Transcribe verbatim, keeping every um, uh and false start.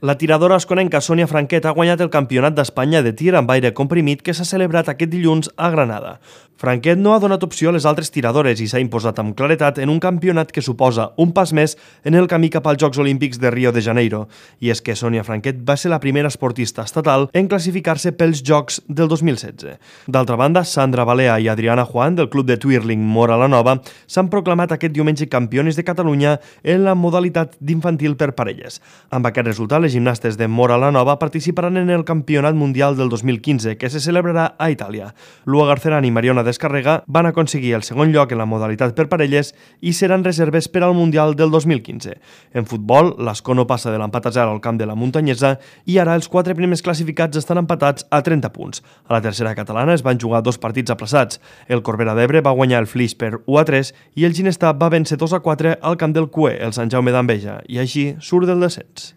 La tiradora asconenca Sònia Franquet ha guanyat el Campionat d'Espanya de tir amb aire comprimit que s'ha celebrat aquest dilluns a Granada. Franquet no ha donat opció a les altres tiradores i s'ha imposat amb claretat en un campionat que suposa un pas més en el camí cap als Jocs Olímpics de Rio de Janeiro. I és que Sònia Franquet va ser la primera esportista estatal en classificar-se pels Jocs del dos mil setze. D'altra banda, Sandra Balea i Adriana Juan, del club de twirling Mora la Nova, s'han proclamat aquest diumenge campiones de Catalunya en la modalitat d'infantil per parelles. Amb aquest resultat, les gimnastes de Mora la Nova participaran en el Campionat Mundial del dos mil quinze, que se celebrarà a Itàlia. Lua Garceran i Mariona Descarrega van aconseguir el segon lloc en la modalitat per parelles i seran reserves per al Mundial del dos mil quinze. En futbol, l'Ascó no passa de l'empat a zero al camp de la Muntanyesa i ara els quatre primers classificats estan empatats a trenta punts. A la tercera catalana es van jugar dos partits aplaçats. El Corbera d'Ebre va guanyar el Flix per u a tres i el Ginestar va vèncer dos a quatre al camp del Cué, el Sant Jaume d'Enveja, i així surt del descens.